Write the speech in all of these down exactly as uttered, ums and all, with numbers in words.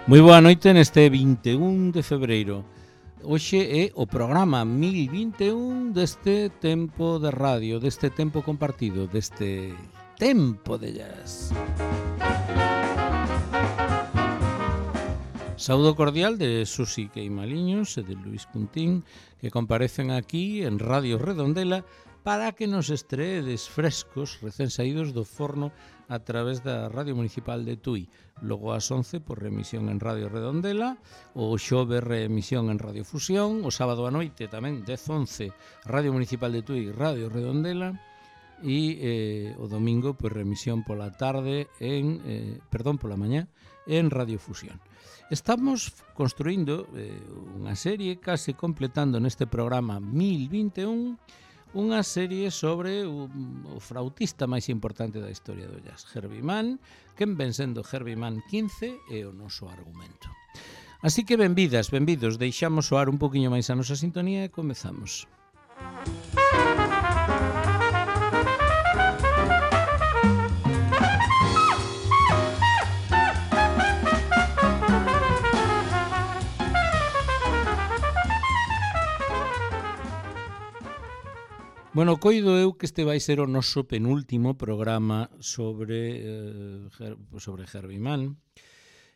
Moi boa noite neste vinte e un de febreiro. Hoxe é o programa mil vinte e un deste tempo de radio, deste tempo compartido, deste tempo de jazz. Saúdo cordial de Susi Queimaliños e de Luis Cuntín, que comparecen aquí en Radio Redondela para que nos estreedes frescos, recén saídos do forno a través da Radio Municipal de Tui. Logo ás once por remisión en Radio Redondela, o xove reemisión en Radio Fusión, o sábado a noite tamén dez once Radio Municipal de Tui, Radio Redondela, e eh, o domingo por remisión pola tarde en, eh, perdón, pola mañá en Radio Fusión. Estamos construindo eh, unha serie, case completando neste programa mil vinte e un, unha serie sobre o, o flautista máis importante da historia do jazz, Herbie Mann, quen ven sendo Herbie Mann quince é o noso argumento. Así que benvidas, benvidos, deixamos soar un poquinho máis a nosa sintonía e comezamos. Bueno, coido eu que este vai ser o noso penúltimo programa sobre, eh, sobre Herbie Mann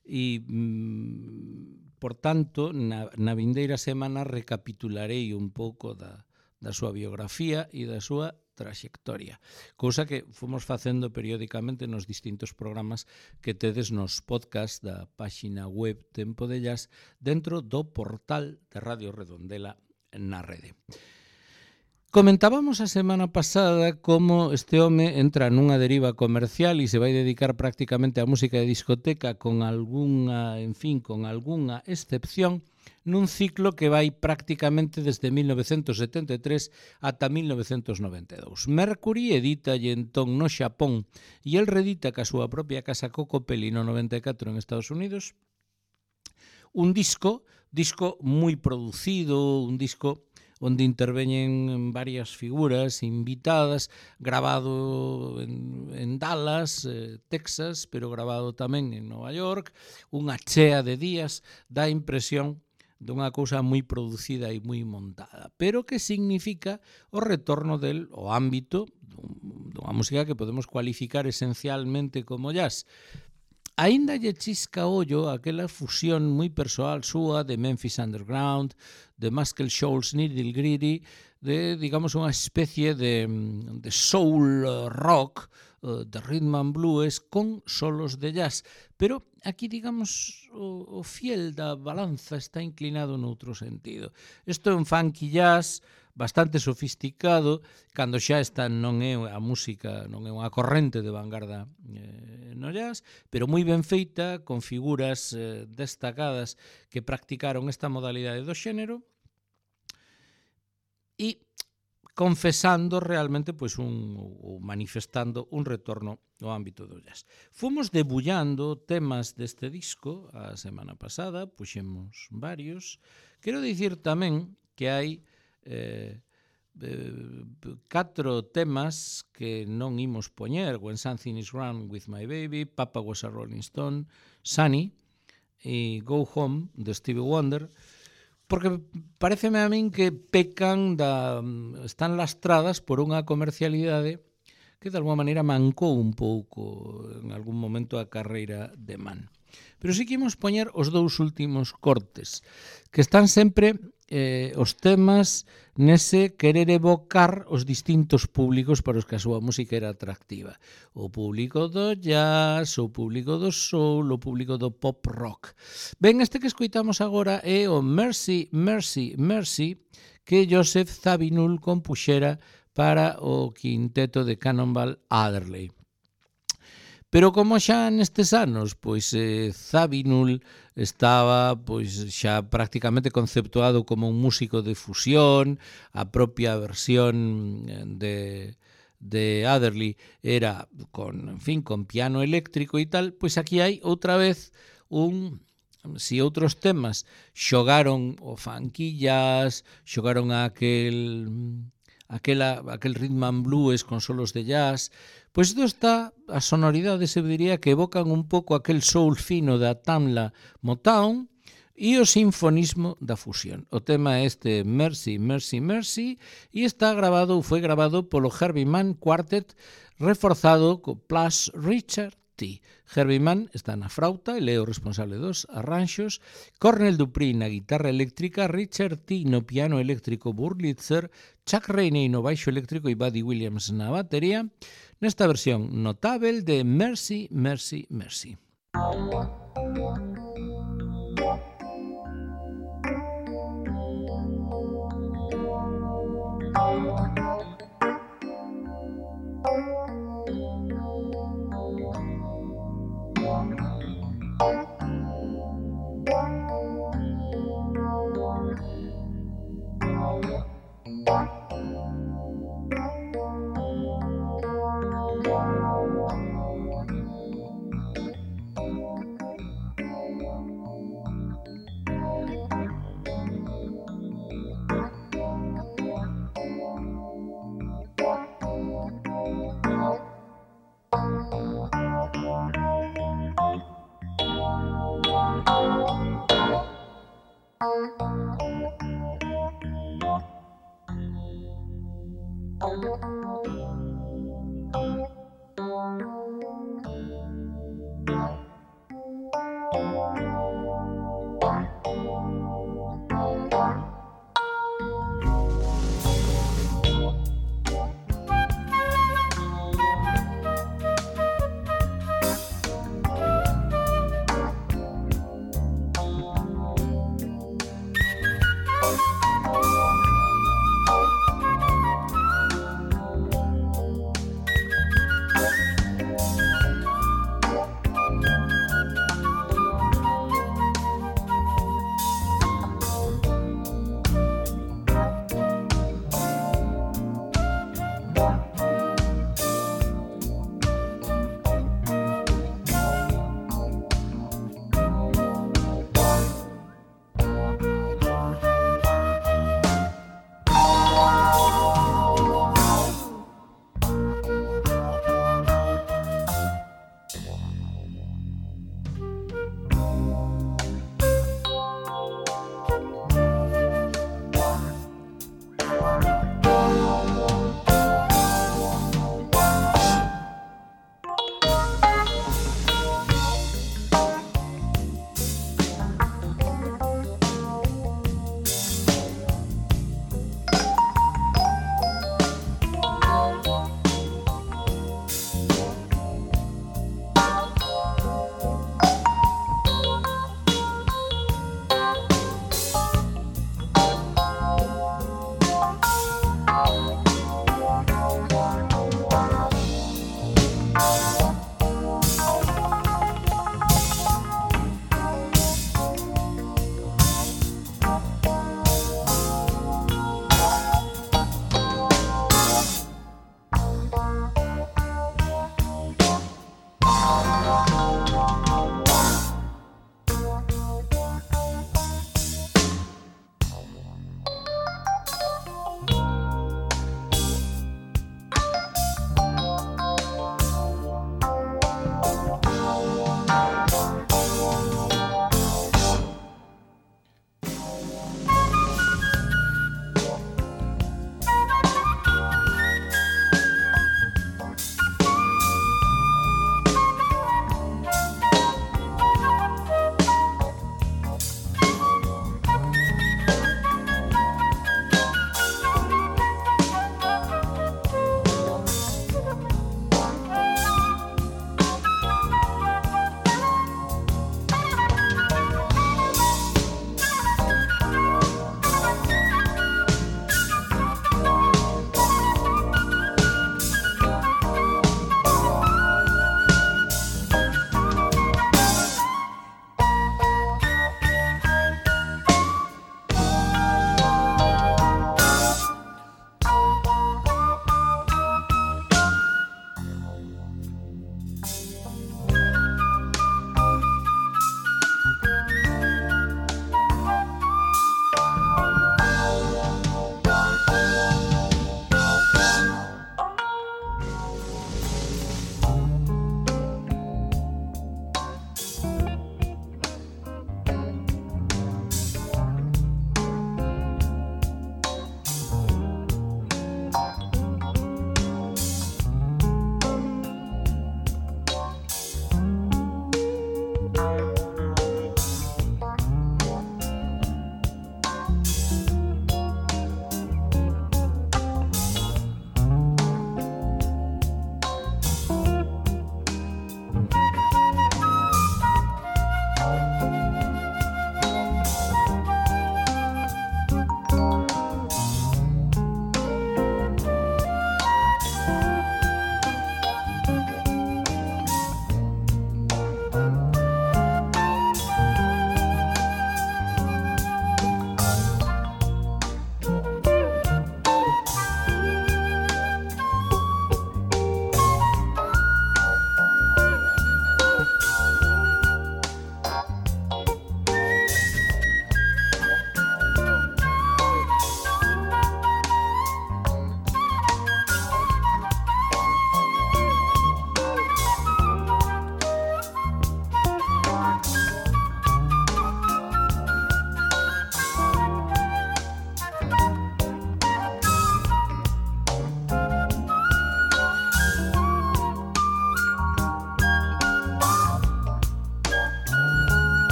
e, mm, por tanto, na, na vindeira semana recapitularei un pouco da, da súa biografía e da súa traxectoria, cousa que fomos facendo periódicamente nos distintos programas que tedes nos podcast da páxina web Tempo de Jazz dentro do portal de Radio Redondela na rede. Comentábamos a semana pasada como este home entra nunha deriva comercial e se vai dedicar prácticamente á música de discoteca con algunha, en fin, con algunha excepción, nun ciclo que vai prácticamente desde mil novecentos setenta e tres ata mil novecentos noventa e dous. Mercury editalle entón no Xapón e el redita ca súa propia casa Coco Pelli no noventa e catro en Estados Unidos un disco, disco moi producido, un disco onde interveñen varias figuras invitadas, grabado en, en Dallas, eh, Texas, pero grabado tamén en Nova York, unha chea de días, dá impresión dunha cousa moi producida e moi montada, pero que significa o retorno del o ámbito dunha música que podemos cualificar esencialmente como jazz. Aínda lle chisca ollo aquela fusión moi persoal súa de Memphis Underground, de Muscle Shoals Nitty Gritty, de, digamos, unha especie de, de soul rock, de rhythm and blues con solos de jazz. Pero aquí, digamos, o, o fiel da balanza está inclinado noutro sentido. Isto é un funky jazz bastante sofisticado, cando xa esta non é a música, non é unha corrente de vanguarda eh, no jazz, pero moi ben feita, con figuras eh, destacadas que practicaron esta modalidade do xénero e confesando realmente, pois, un, ou manifestando un retorno ao ámbito do jazz. Fomos debullando temas deste disco a semana pasada, puxemos varios. Quero dicir tamén que hai Eh, eh, catro temas que non imos poñer: When Something Is Wrong With My Baby, Papa Was a Rolling Stone, Sunny e Go Home de Stevie Wonder, porque pareceme a min que pecan da, están lastradas por unha comercialidade que de alguma maneira mancou un pouco en algún momento a carreira de Mann. Pero sí que imos poñer os dous últimos cortes, que están sempre eh, os temas nese querer evocar os distintos públicos para os que a súa música era atractiva. O público do jazz, o público do soul, o público do pop rock. Ben, este que escoitamos agora é o Mercy, Mercy, Mercy, que Joseph Zawinul compuxera para o quinteto de Cannonball Adderley. Pero como xa nestes anos, pois eh, Zawinul estaba pois xa prácticamente conceptuado como un músico de fusión, a propia versión de de Adderley era con, en fin, con piano eléctrico e tal, pois aquí hai outra vez un si outros temas xogaron o funky jazz, xogaron aquel aquela, aquel rhythm and blues con solos de jazz, pois isto está, as sonoridades eu diría que evocan un pouco aquel soul fino da Tamla Motown e o sinfonismo da fusión. O tema é este Mercy, Mercy, Mercy e está grabado, ou foi grabado polo Herbie Mann Quartet reforzado co Plus Richard T. Herbie Mann está na frauta, ele é o responsable dos arranxos, Cornel Dupree na guitarra eléctrica, Richard T no piano eléctrico Wurlitzer, Chuck Rainey no baixo eléctrico e Buddy Williams na batería, nesta versión notável de Mercy, Mercy, Mercy.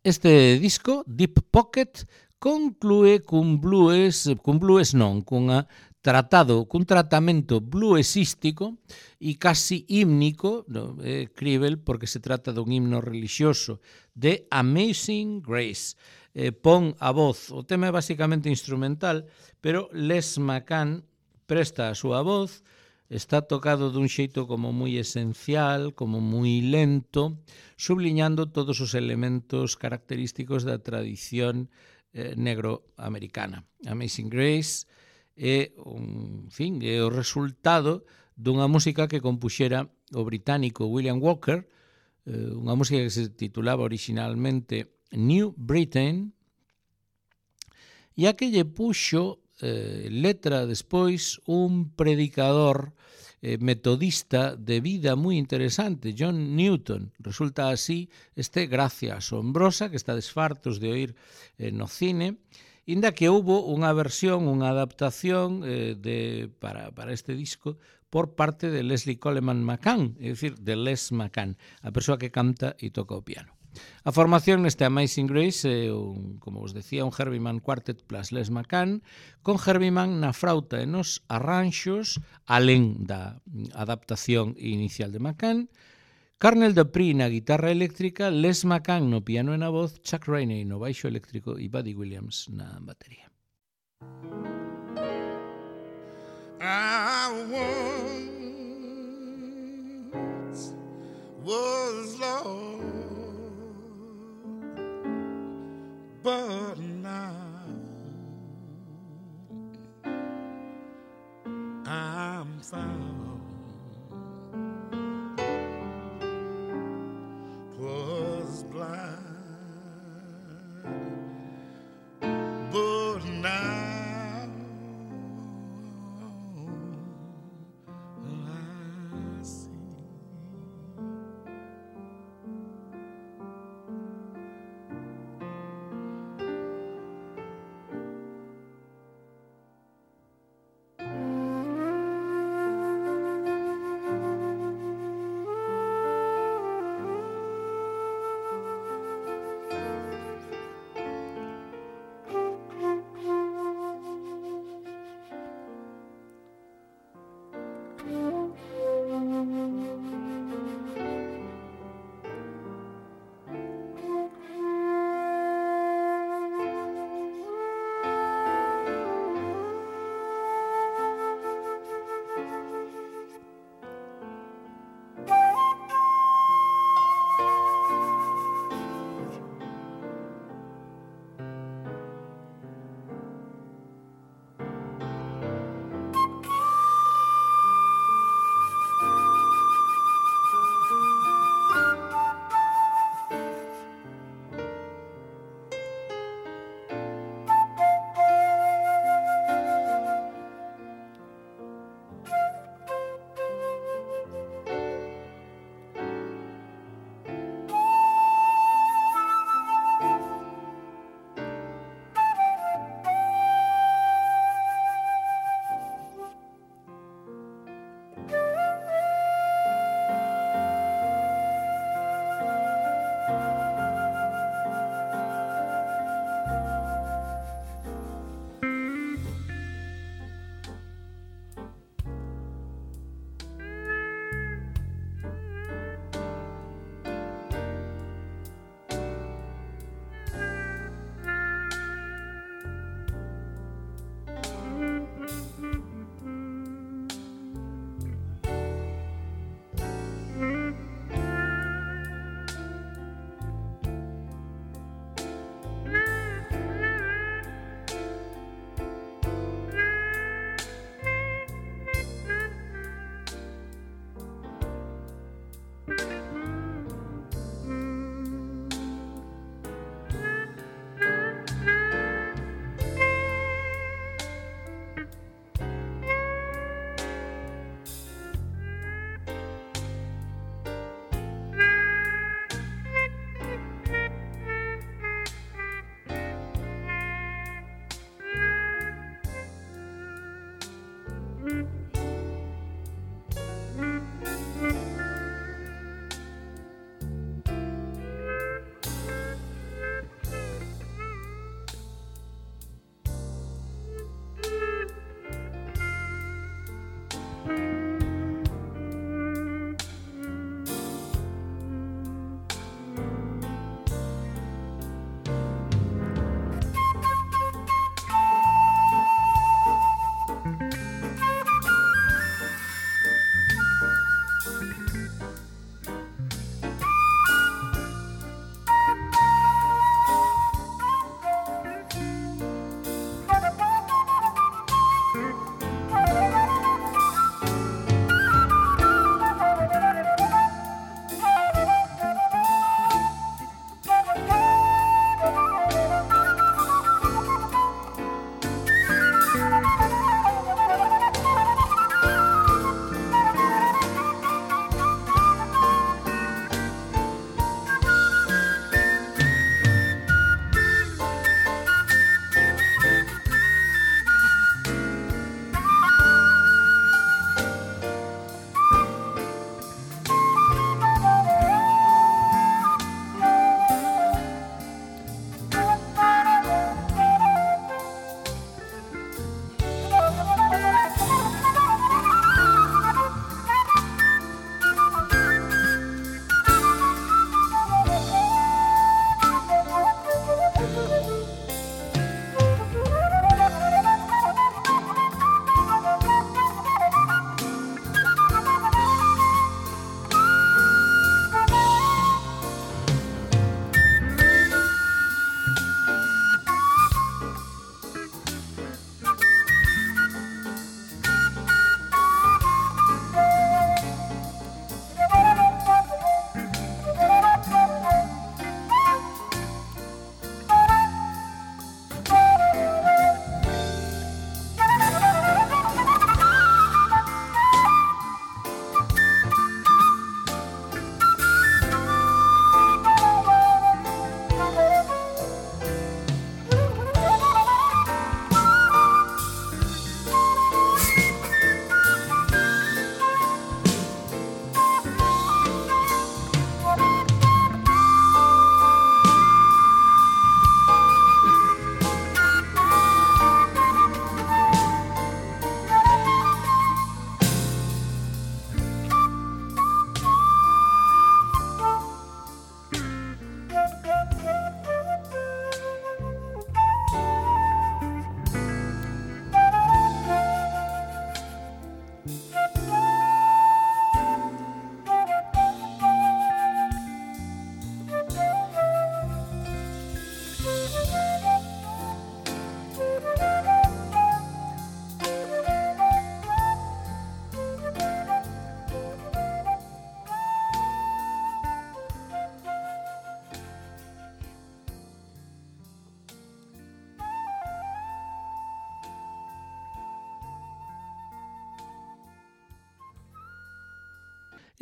Este disco, Deep Pocket, conclúe cun blues, cun blues non, cunha tratado, cun tratamento bluesístico e casi hímnico, no, é críbel porque se trata dun himno religioso de Amazing Grace. Eh, pon a voz, o tema é basicamente instrumental, pero Les McCann presta a súa voz, está tocado dun xeito como moi esencial, como moi lento, subliñando todos os elementos característicos da tradición eh, negro-americana. Amazing Grace é, un, en fin, é o resultado dunha música que compuxera o británico William Walker, eh, unha música que se titulaba originalmente New Britain, e a que lle puxo eh, letra despois un predicador eh, metodista de vida moi interesante, John Newton. Resulta así este Gracia asombrosa que está desfartos de oír eh, no cine, inda que houbo unha versión, unha adaptación eh, de, para, para este disco por parte de Leslie Coleman McCann, é dicir, de Les McCann, a persoa que canta e toca o piano. A formación neste Amazing Grace é, un, como vos decía, un Herbie Mann Quartet plus Les McCann, con Herbie Mann na frauta e nos arranxos, alén da adaptación inicial de McCann, Carnell Dupree na guitarra eléctrica, Les McCann no piano e na voz, Chuck Rainey no baixo eléctrico e Buddy Williams na batería. I once was lost, but now I'm found. Was blind, but now I see.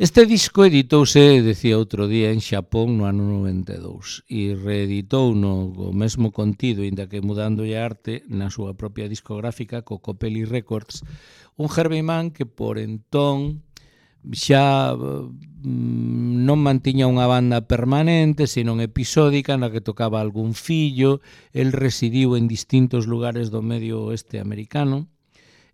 Este disco editouse, decía outro día, en Xapón no ano noventa e dous e reeditou no o mesmo contido, inda que mudándolle a arte na súa propia discográfica, Cocopelli Records, un Herbie Mann que por entón xa mm, non mantiña unha banda permanente, senón episódica na que tocaba algún fillo. El residiu en distintos lugares do medio oeste americano.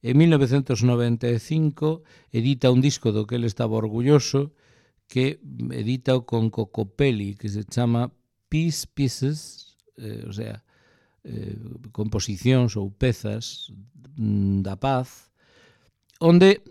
En mil novecentos noventa e cinco edita un disco do que ele estaba orgulloso, que edita con Cocopelli, que se chama Peace Pieces, eh, o sea, eh, composicións ou pezas mm, da paz, onde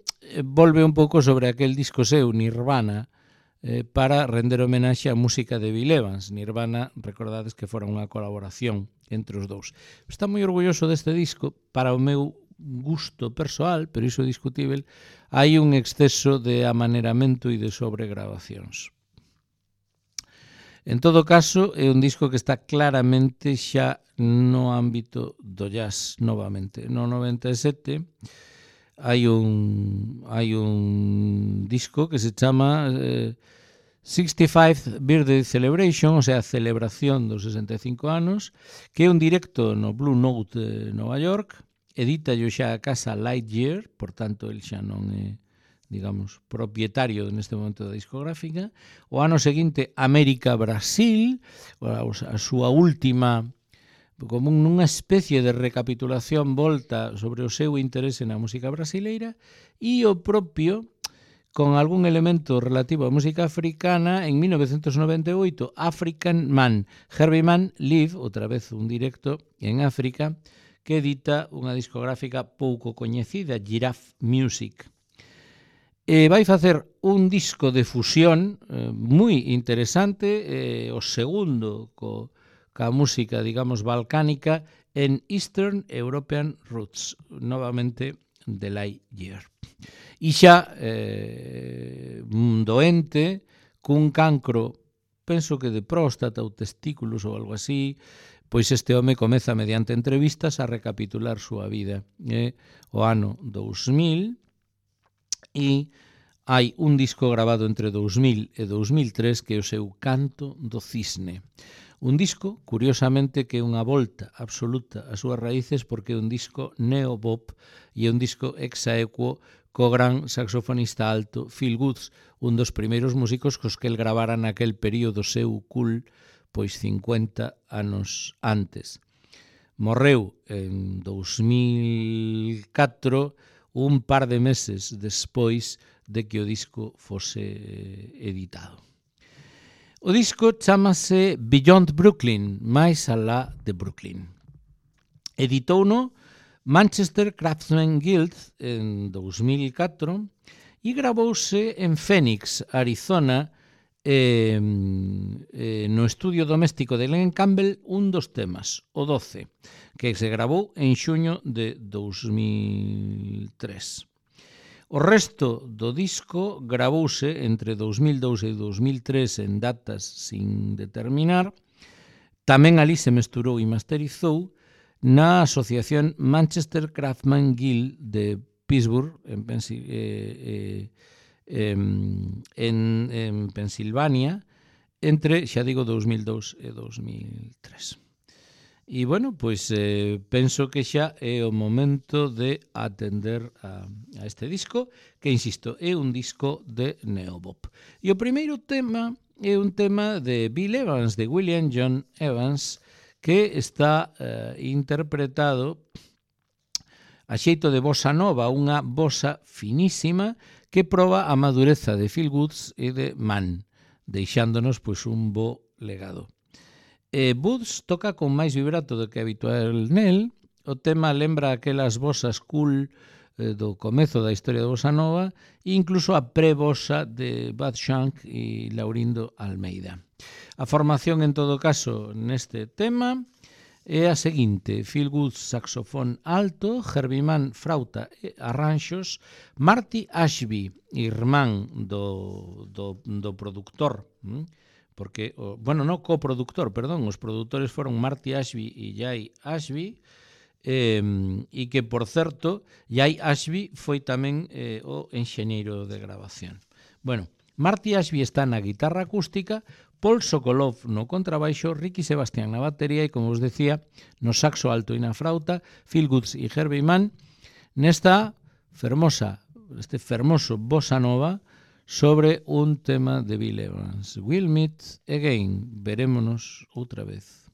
volve un pouco sobre aquel disco seu, Nirvana, eh, para render homenaxe á música de Bill Evans. Nirvana, recordades que fora unha colaboración entre os dous. Está moi orgulloso deste disco. Para o meu gusto persoal, pero iso é discutível, hai un exceso de amaneramento e de sobregrabacións. En todo caso, é un disco que está claramente xa no ámbito do jazz novamente. No noventa e sete hai un hai un disco que se chama eh, sixty-fifth Birthday Celebration, o sea, celebración dos sesenta e cinco anos, que é un directo no Blue Note de Nova York. Edita yo xa a casa Lightyear, por tanto, el xa non é, digamos, propietario neste momento da discográfica. O ano seguinte, América-Brasil, a súa última, como nunha especie de recapitulación volta sobre o seu interese na música brasileira, e o propio, con algún elemento relativo á música africana, en mil novecentos noventa e oito, African Man, Herbie Mann Live, outra vez un directo en África, que edita unha discográfica pouco coñecida, Giraffe Music. E vai facer un disco de fusión eh, moi interesante, eh, o segundo co, ca música, digamos, balcánica en Eastern European Roots, novamente de Lightyear. E xa eh, un doente cun cancro, penso que de próstata ou testículos ou algo así, pois este home comeza mediante entrevistas a recapitular súa vida. É o ano dous mil e hai un disco grabado entre dous mil e dous mil tres que é o seu Canto do Cisne. Un disco, curiosamente, que é unha volta absoluta ás súas raíces porque é un disco neopop e é un disco exaequo co gran saxofonista alto Phil Woods, un dos primeiros músicos cos que el gravara naquel período seu cool, pois cincuenta anos antes. Morreu en dous mil catro, un par de meses despois de que o disco fose editado. O disco chamase Beyond Brooklyn, máis alá de Brooklyn. Editouno Manchester Craftsman Guild en dous mil catro e gravouse en Phoenix, Arizona, Eh, eh, no estudio doméstico de Glen Campbell, un dos temas, o doce, que se gravou en xuño de dous mil tres. O resto do disco gravouse entre dous mil dous e dous mil tres en datas sin determinar. Tamén ali se mesturou e masterizou na asociación Manchester Craftsman Guild de Pittsburgh, en Pensilvania, eh, eh, En, en, en Pensilvania, entre, xa digo, dous mil dous e dous mil tres. E, bueno, pois eh, penso que xa é o momento de atender a, a este disco, que, insisto, é un disco de neopop. E o primeiro tema é un tema de Bill Evans, de William John Evans, que está eh, interpretado a xeito de bossa nova, unha bossa finísima, que proba a madureza de Phil Woods e de Mann, deixándonos pois un bo legado. E Woods toca con máis vibrato do que habitual nel. O tema lembra aquelas bossas cool eh, do comezo da historia da bossa nova e incluso a pre-bossa de Bud Shank e Laurindo Almeida. A formación, en todo caso, neste tema é a seguinte: Phil Woods, saxofón alto, Herbie Mann, frauta e arranxos, Marty Ashby, irmán do, do, do productor, porque, bueno, non coproductor, perdón, os produtores foron Marty Ashby e Jay Ashby, eh, e que, por certo, Jay Ashby foi tamén eh, o enxeñeiro de grabación. Bueno, Marty Ashby está na guitarra acústica, Paul Sokolov no contrabaixo, Ricky Sebastián na batería e, como os decía, no saxo alto e na frauta, Phil Goods e Herbie Mann, nesta fermosa, este fermoso bossa nova sobre un tema de Bill Evans. We'll meet again. Verémonos outra vez.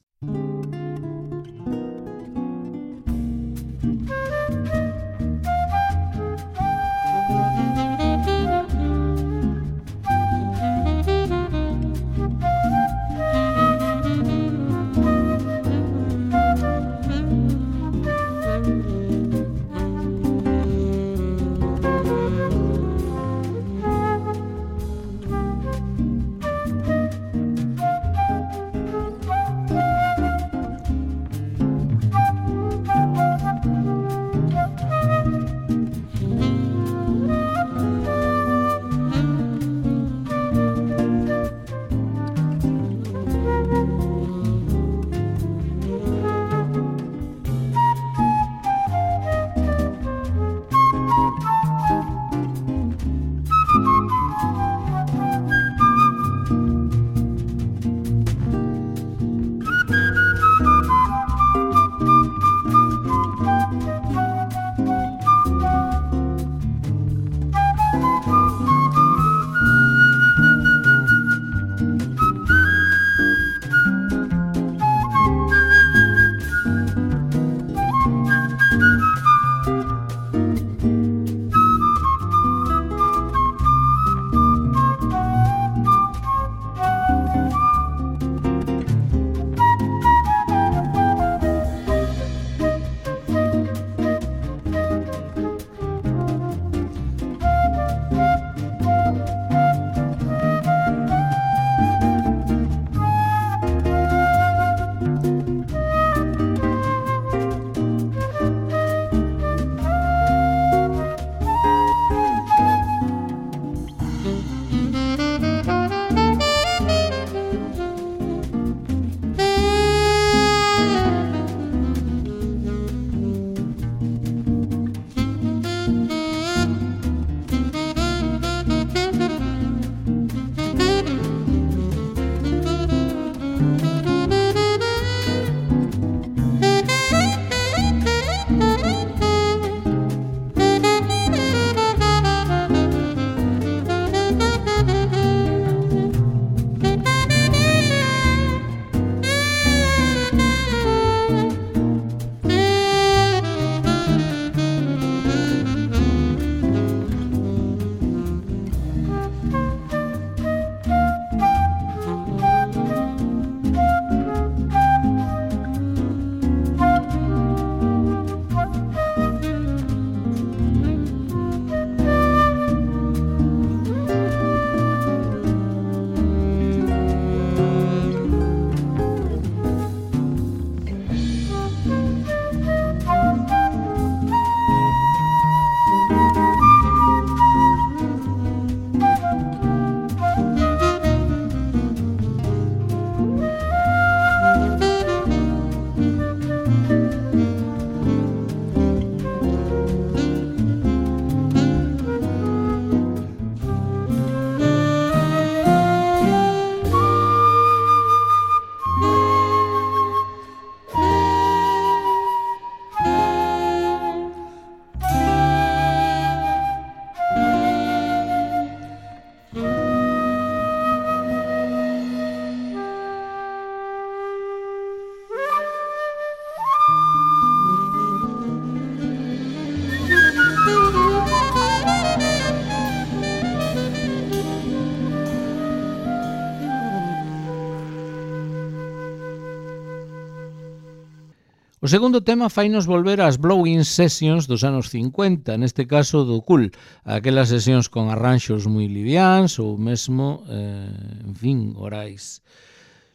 O segundo tema fainos volver ás Blowing Sessions dos anos cincuenta, neste caso do Cool, aquelas sesións con arranxos moi liviáns ou mesmo, eh, en fin, orais.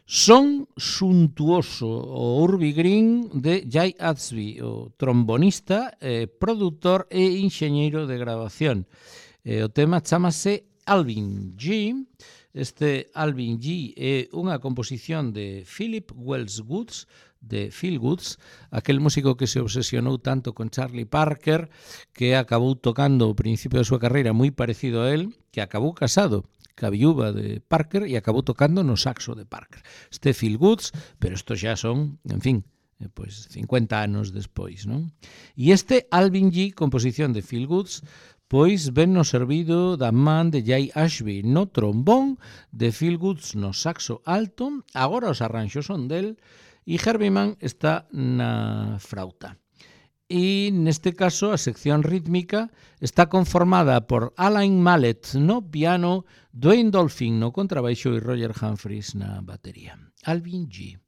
Son suntuoso o Urbie Green de Jay Atsby, o trombonista, eh, produtor e enxeñeiro de grabación. Eh, o tema chamase Alvin G. Este Alvin G é unha composición de Philip Wells Goods, de Phil Goods, aquel músico que se obsesionou tanto con Charlie Parker, que acabou tocando ao principio da súa carreira moi parecido a él, que acabou casado ca viúva de Parker, e acabou tocando no saxo de Parker. Este Feel Goods, pero isto xa son, en fin, eh, pois cincuenta anos despois, non? E este Alvin G, composición de Feel Goods, pois ven no servido da man de Jay Ashby no trombón, de Feel Goods no saxo alto, agora os arranxos son del, e Herbie Mann está na frauta. E neste caso a sección rítmica está conformada por Alain Mallet no piano, Dwayne Dolphin no contrabaixo e Roger Humphries na batería. Alvin G.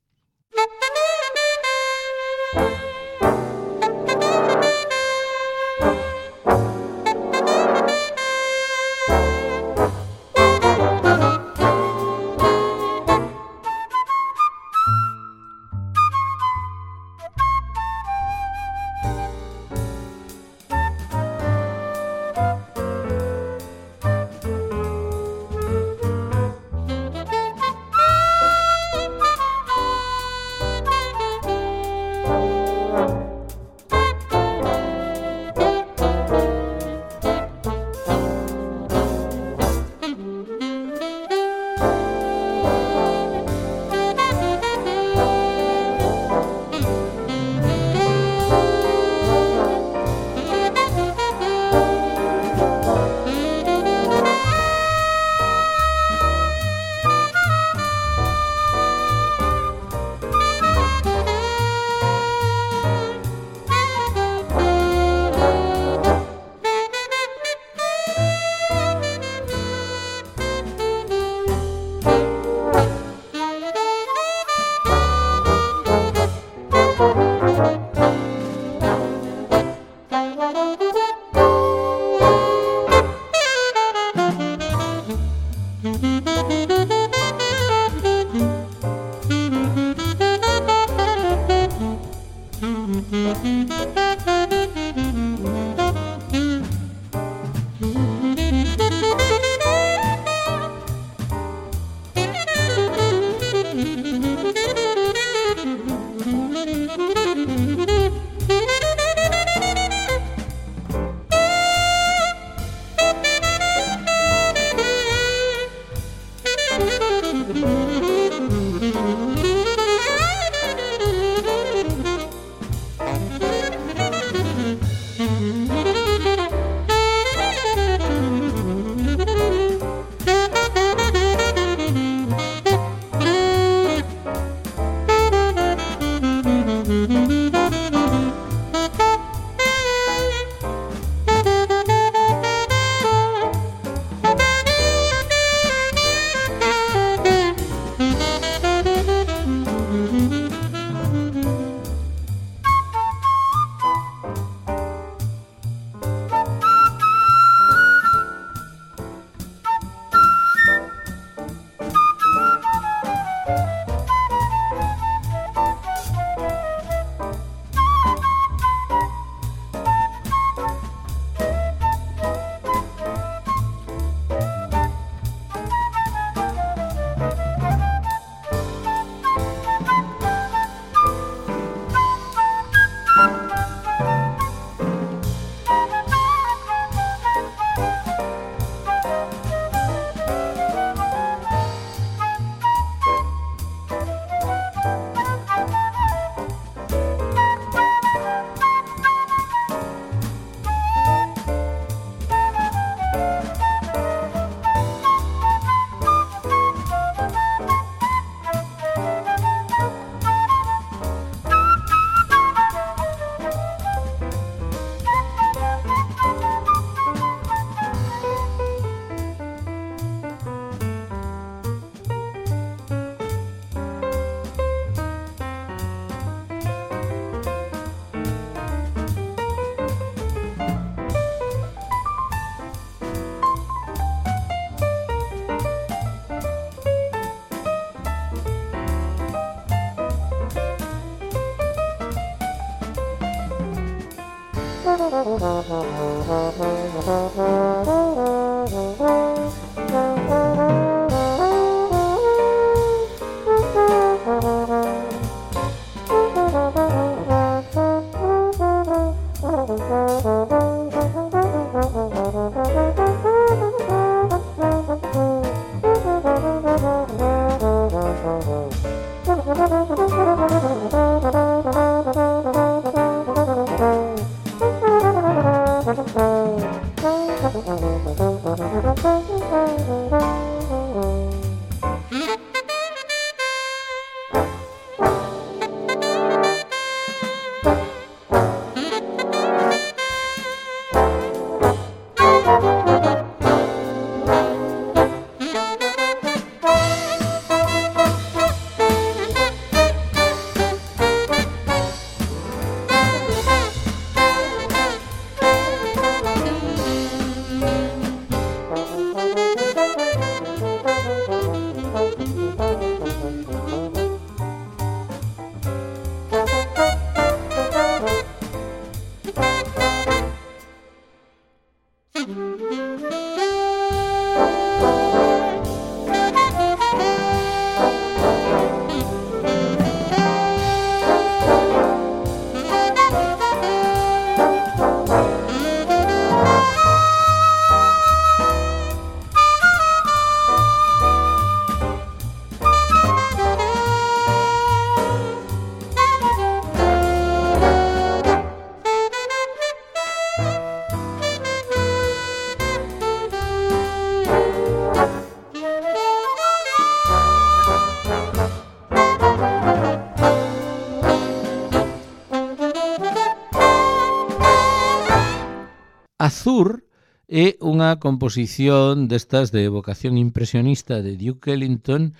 Azur é unha composición destas de vocación impresionista de Duke Ellington,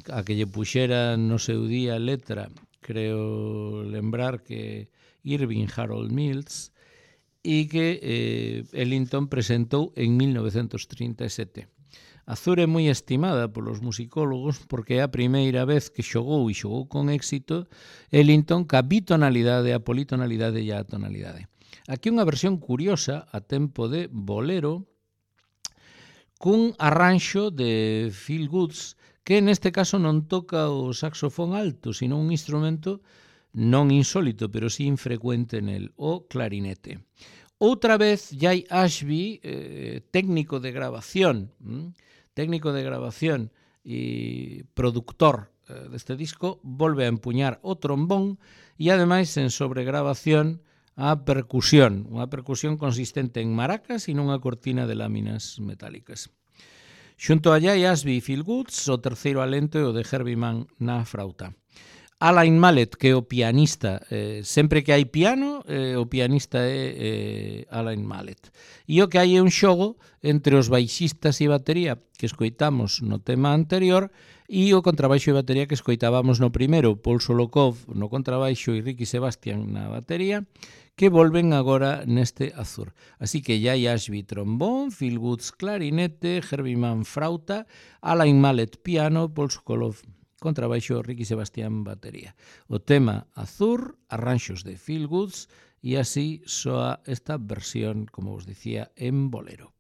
a que lle puxera no seu día letra, creo lembrar que Irving Harold Mills, e que eh, Ellington presentou en mil novecentos trinta e sete. Azur é moi estimada polos musicólogos porque é a primeira vez que xogou e xogou con éxito Ellington ca bitonalidade, a politonalidade e a tonalidade. Aquí unha versión curiosa a tempo de bolero cun arranxo de Phil Woods que neste caso non toca o saxofón alto, sino un instrumento non insólito, pero sí infrecuente nel, o clarinete. Outra vez, Jay Ashby, eh, técnico de grabación, hm? técnico de grabación e productor eh, deste disco, volve a empuñar o trombón e, ademais, en sobregrabación, a percusión, unha percusión consistente en maracas e nunha cortina de láminas metálicas. Xunto a Jay Ashby e Phil Woods, o terceiro alento é o de Herbie Mann na frauta. Alain Mallet, que é o pianista, eh, sempre que hai piano, eh, o pianista é eh, Alain Mallet. E o que hai é un xogo entre os baixistas e batería que escoitamos no tema anterior e o contrabaixo e batería que escoitábamos no primeiro, Paul Solokov no contrabaixo e Ricky Sebastian na batería, que volven agora neste Azur. Así que Jay Ashby trombón, Phil Woods clarinete, Herbie Mann frauta, Alain Mallet piano, Paul Sokolov contrabaixo, Ricky Sebastián batería. O tema Azur, arranxos de Phil Woods, e así soa esta versión, como vos dicía, en bolero.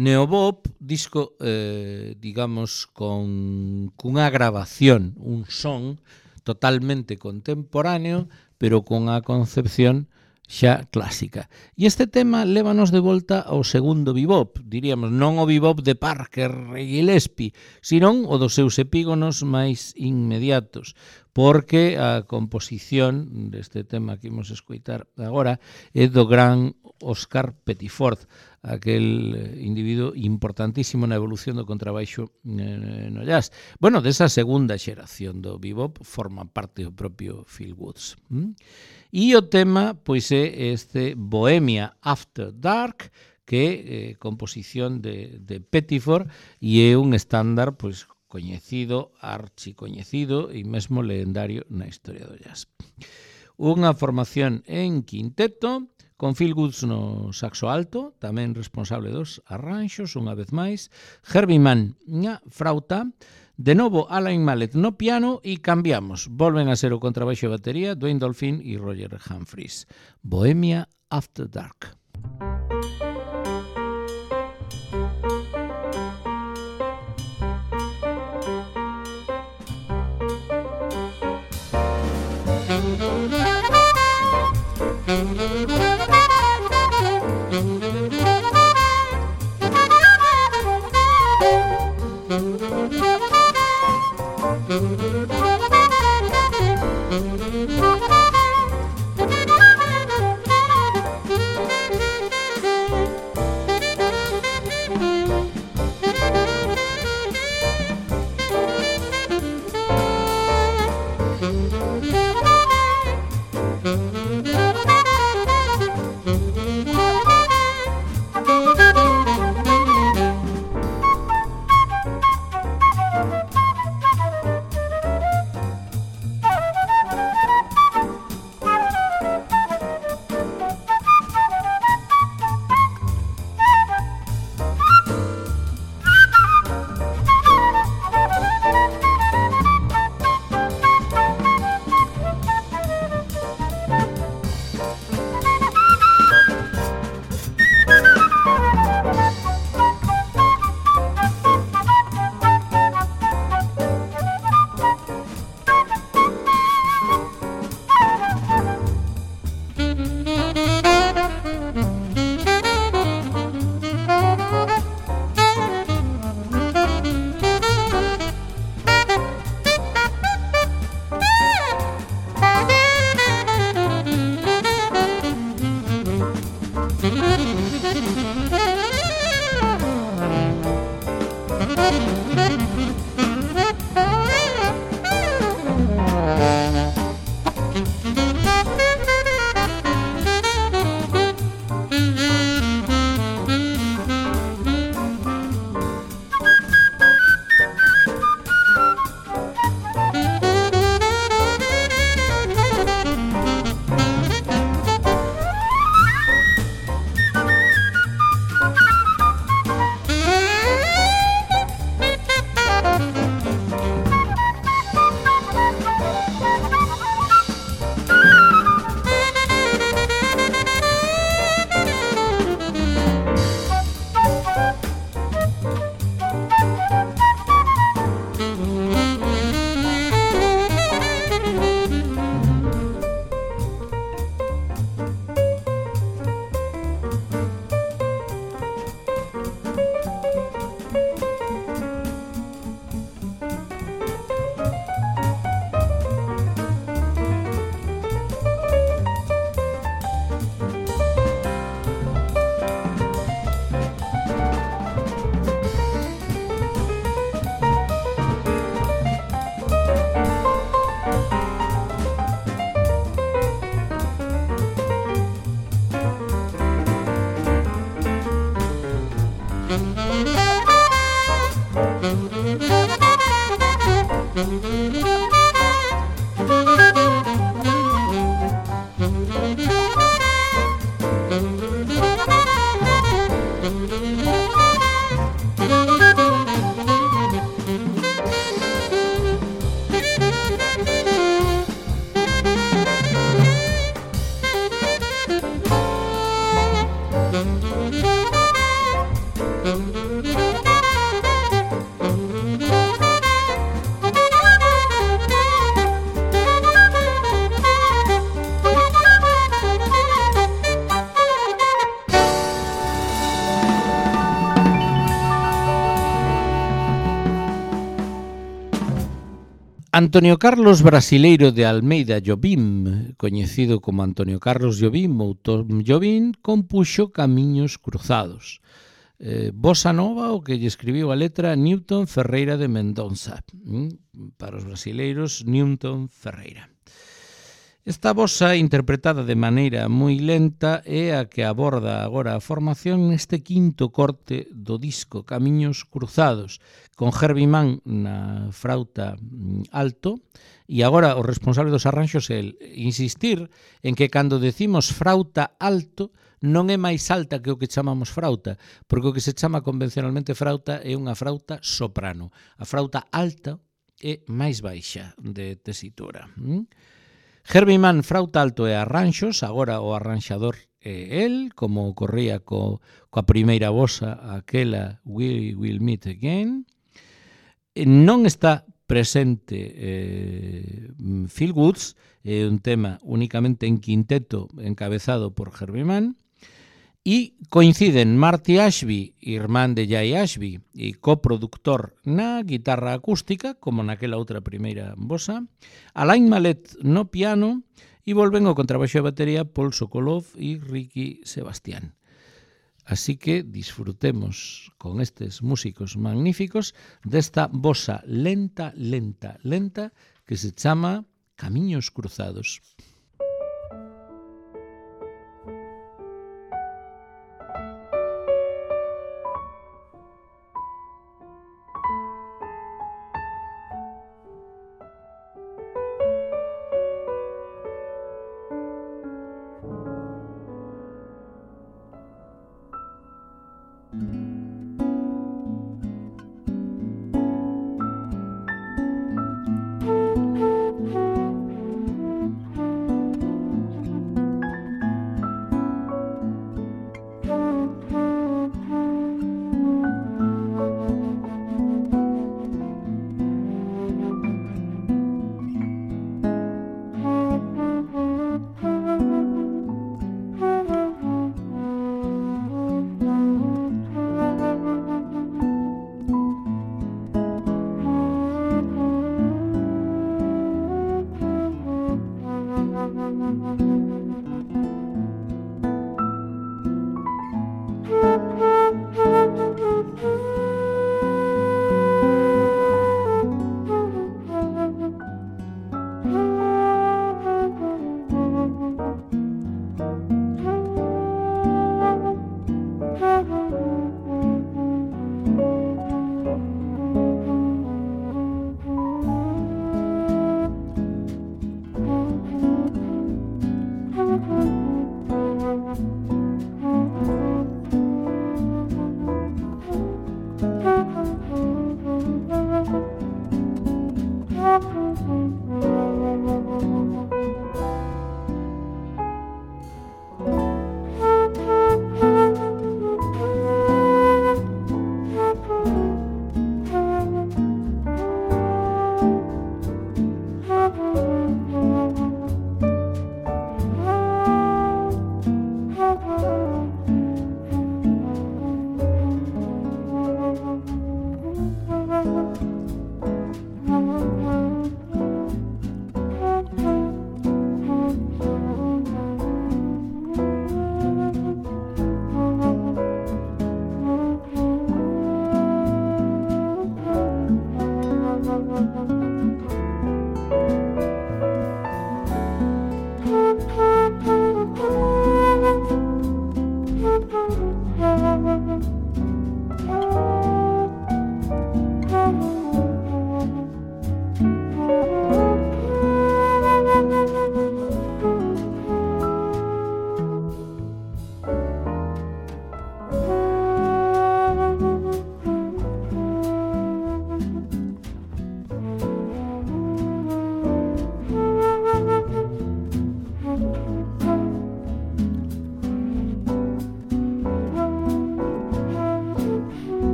Neobop, disco, eh, digamos, con cunha grabación, un son totalmente contemporáneo, pero con a concepción xa clásica. E este tema lévanos de volta ao segundo bebop, diríamos, non o bebop de Parker e Gillespie, senón o dos seus epígonos máis inmediatos, porque a composición deste tema que imos escoitar agora é do gran Oscar Pettiford, aquel individuo importantísimo na evolución do contrabaixo no jazz. Bueno, desa segunda xeración do bebop forma parte o propio Phil Woods. E o tema, pois, é este Bohemia After Dark, que é eh, composición de, de Pettiford e é un estándar, pois, coñecido, archicoñecido e mesmo legendario na historia do jazz. Unha formación en quinteto, con Phil Woods no saxo alto, tamén responsable dos arranxos, unha vez máis, Herbie Mann na frauta, de novo Alain Mallet no piano e cambiamos. Volven a ser o contrabaixo e batería, Dwayne Dolphin e Roger Humphries. Bohemia After Dark. Thank you. Antonio Carlos Brasileiro de Almeida Jobim, coñecido como Antonio Carlos Jobim ou Tom Jobim, compuxo Camiños Cruzados. Eh, bossa nova, o que lle escribiu a letra Newton Ferreira de Mendonça. Mm? Para os brasileiros, Newton Ferreira. Esta bossa, interpretada de maneira moi lenta, é a que aborda agora a formación neste quinto corte do disco Camiños Cruzados, con Herbie Mann na frauta alto, e agora o responsable dos arranxos é el insistir en que cando decimos frauta alto non é máis alta que o que chamamos frauta, porque o que se chama convencionalmente frauta é unha frauta soprano. A frauta alta é máis baixa de tesitura. ¿Mm? Herbie Mann, frauta alto e arranxos, agora o arranxador é el, como ocorría co, coa primeira bossa, aquela We Will Meet Again. Non está presente eh, Phil Woods, é un tema únicamente en quinteto encabezado por Herbie Mann, e coinciden Marty Ashby, irmán de Jay Ashby, e coproductor na guitarra acústica, como naquela outra primeira bossa, Alain Mallet no piano, e volven ao contrabaixo e batería Paul Sokolov e Ricky Sebastián. Así que disfrutemos con estes músicos magníficos desta bossa lenta, lenta, lenta que se chama Camiños Cruzados.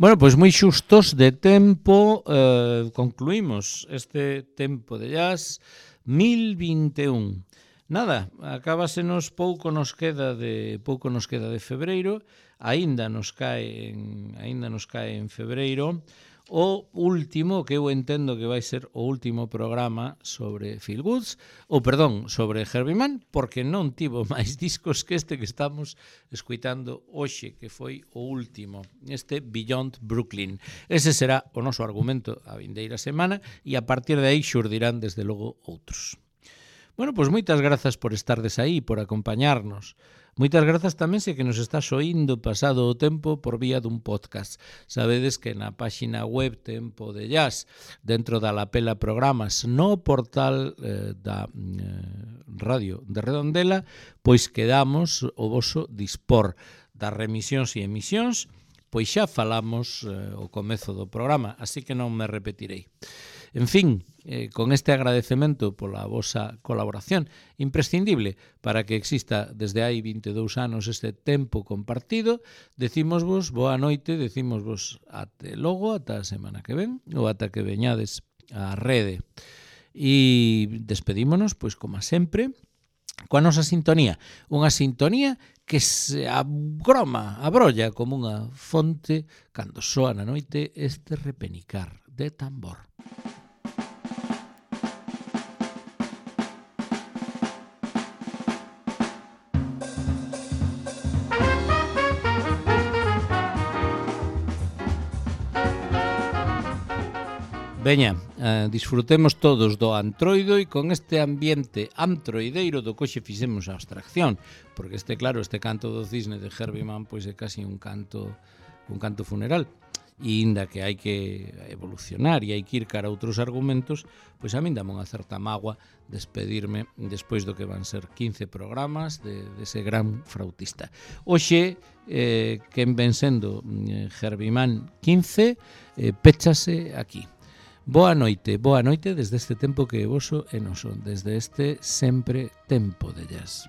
Bueno, pois moi xustos de tempo, eh, concluímos este tempo de jazz mil vinte e un. Nada, acábasenos pouco nos queda de pouco nos queda de febreiro, aínda nos cae en aínda nos cae en febreiro o último, que eu entendo que vai ser o último programa sobre Phil Woods, ou perdón, sobre Herbie Mann, porque non tivo máis discos que este que estamos escuitando hoxe, que foi o último, este Beyond Brooklyn. Ese será o noso argumento a vindeira semana e a partir de aí xurdirán desde logo outros. Bueno, pois moitas grazas por estardes aí, por acompañarnos. Moitas grazas tamén se que nos estás oindo pasado o tempo por vía dun podcast. Sabedes que na páxina web Tempo de Jazz, dentro da lapela programas, no portal eh, da eh, radio de Redondela, pois quedamos o voso dispor das remisións e emisións, pois xa falamos eh, o comezo do programa, así que non me repetirei. En fin, eh, con este agradecemento pola vosa colaboración imprescindible para que exista desde hai vinte e dous anos este tempo compartido, decímosvos boa noite, decímosvos até logo, ata a semana que ven, ou ata que veñades á rede. E despedímonos, pois como sempre, coa nosa sintonía, unha sintonía que se agroma, abrolla como unha fonte cando soa na noite este repenicar de tambor. Veña, eh, disfrutemos todos do antroido e con este ambiente antroideiro do coxe fixemos a abstracción, porque este, claro, este canto do cisne de Herbie Mann pois é casi un canto un canto funeral. E inda que hai que evolucionar e hai que ir cara a outros argumentos, pois a min dame unha certa mágoa despedirme despois do que van ser quince programas de, de ese gran frautista. Hoxe, eh, quen ven sendo eh, Herbie Mann quince, eh, péchase aquí. Boa noite, boa noite desde este tempo que é voso e noso, desde este sempre tempo de jazz.